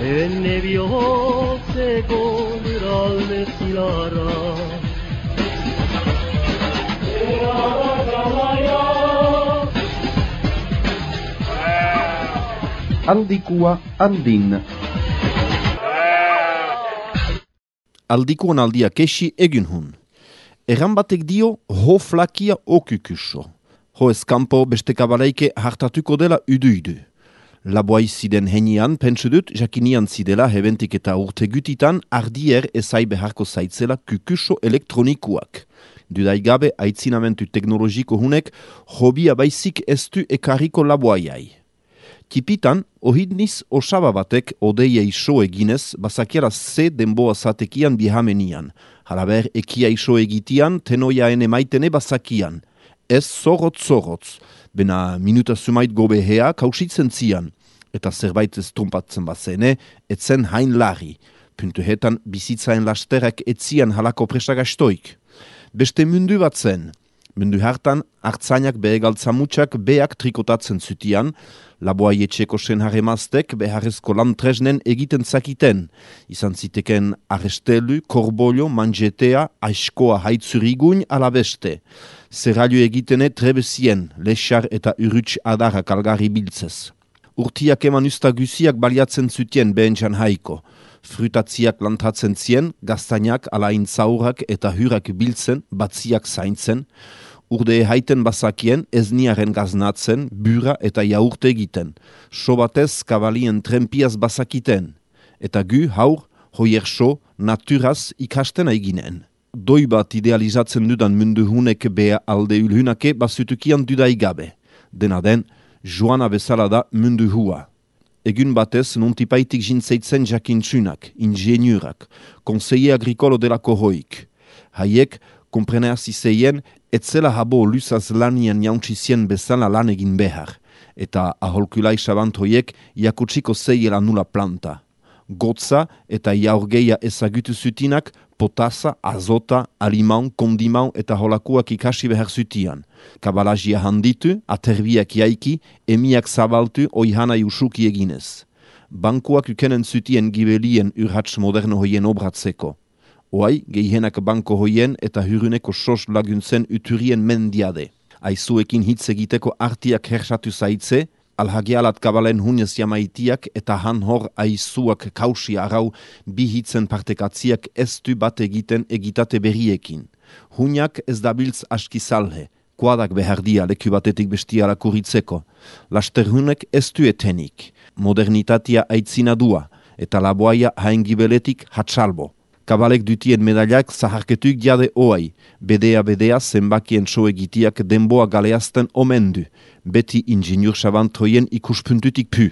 Enne bihotzeko alde zilarra Aldikua andin. Aldikuan aldia kesi egin hun. Erran batek dio ho flakia okukuso. Ho eskampo beste kabaleike hartatuko dela udu. Laboai ziden henian pentsu dut jakinian zidela hebentik eta urte gutitan ardier ezai beharko zaitzela kukuso elektronikuak. Dudaigabe aitzinamentu teknologiko hunek hobia baizik estu ekarriko laboaiai. Tipitan, ohidniz osaba batek odeiei so eginez, basakiara ze denboa zatekian bihamenian. Halaber, ekia iso egitian, tenoia ene maitene basakian. Ez zorotz, bena minuta sumait gobehea kausitzen zian. Eta zerbait ez trumpatzen bazene, etzen hain larri. Puntuhetan, bizitzaen lasterak etzian halako presagastoik. Beste mundu bat zen. Mundu hartan, hartzainak behegaltzamutxak beak trikotatzen zutian, laboai etxeko sen haremaztek beharrezko lan tresnen egiten zakiten. Izan ziteken arrestelu, korbolio, manjetea, aiskoa haitzuriguin alabeste. Zerrailo egitene trebezien, lexar eta urruts adarrak algarri biltzez. Urtiak eman ustagusiak baliatzen zutien behentxan haiko. Frutatziak lantatzen zien, gaztainak alain zaurak eta hurak biltzen, batziak zaintzen, urde haiten bazakien ezniaren gaznatzen, bura eta jaurte egiten, sobatez kabalien trempiaz bazakiten, eta gu haur, hoier so, naturaz ikasten aiginen. Doi bat idealizatzen dudan mundu hunek bea alde ulhunake bazutukian dudaigabe. Dena den, joana bezala da mundu hua. Egun batez nontipaitik jintzeitzen jakintsunak, ingeniurak, conseiller agricolo delako hoik. Haiek, kompreneaz izeien, etzela habo luzaz lanian jauntxizien bezala lan egin behar, eta aholkulai sabant hoiek jakutsiko zeiela nula planta. Gotza eta jaurgeia ezagutu zutinak, potasa, azota, alimaun, kondimaun eta holakuak ikasi behar zutian. Kabalajia handitu, aterbiak jaiki, emiak zabaltu oihanai usuki eginez. Bankuak ukenen zutien gibelien urhats moderno hoien obratzeko. Oai, gehienak banko hoien eta huruneko sos laguntzen uturien mendiade. Aizuekin hitz egiteko artiak hersatu zaitze, alhagialat kabalen hunez jamaitiak eta han hor aizuak kausi arau bi hitzen partekatziak estu bat egiten egitate berriekin. Huniak ez dabiltz askizalhe, kuadak behardia leku batetik bestiala kuritzeko. Laster hunek estu etenik, modernitatea aitzina dua eta laboaia haengibeletik hatsalbo. Kabalek dutien medailak zaharketuik jade oai, bedea zenbakien so egitiak denboa galeazten omendu, beti ingeniur sabantoien ikuspuntutik pu.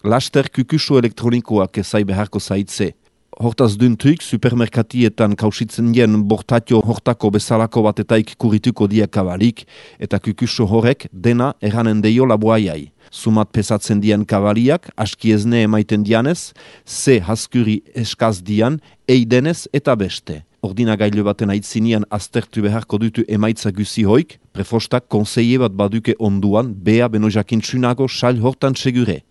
Laster kukuso elektronikoak ezai beharko zaitze. Hortaz duntuik, supermerkatietan kausitzen jen bortatio hortako bezalako batetaik kurituko dia kabalik, eta kukuso horrek dena eranen deio laboaiai. Sumat pesatzen dian kabaliak, askiezne emaiten dianez, ze haskuri eskaz dian, eidenez eta beste. Ordinagailu baten aitzinian aztertu beharko dutu emaitza guzi hoik, prefostak konseie bat baduke onduan, bea beno jakintsunago sal hortan segure.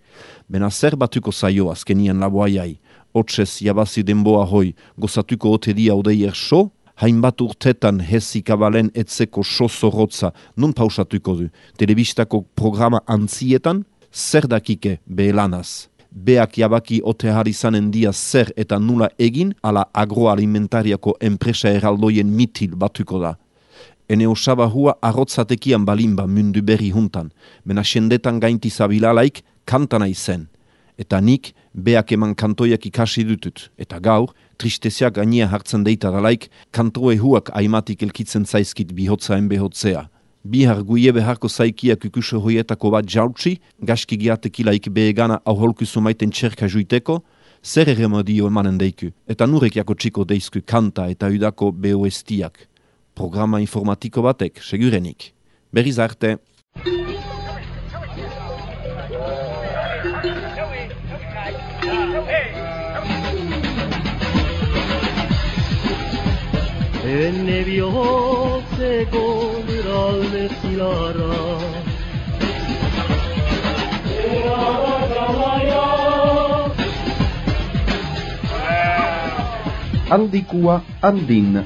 Bena zer batuko zaio azkenian laboaiai, otsez jabazi denboa hoi, gozatuko ote dia odeier so, hainbat urtetan hezi kabalen etzeko so zorrotza nun pausatuko du, telebistako programa antzietan, zer dakike behelanaz. Beak jabaki ote harizanen dia zer eta nula egin, ala agroalimentariako enpresa eraldoien mitil batuko da. Ene osaba hua arrotzatekian balimba mundu berri juntan, bena sendetan gainti zabilalaik kantana izen. Eta nik beak eman kantoiak ikasi dutut, eta gaur, tristeziak gainia hartzen deitadalaik, kantoe huak aimatik elkitzen zaizkit bihotzaen behotzea. Bihar guie beharko zaikia kukuso hoietako bat jautsi, gaski giatekilaik behegana auholkuzu maiten txerka juiteko, zer remedio emanen deiku, eta nurek jako txiko deizku kanta eta udako behoestiak. Programa informatiko batek, segurenik. Berriz arte. enne bihotzeko lurralde zilarra. Aldikua handin.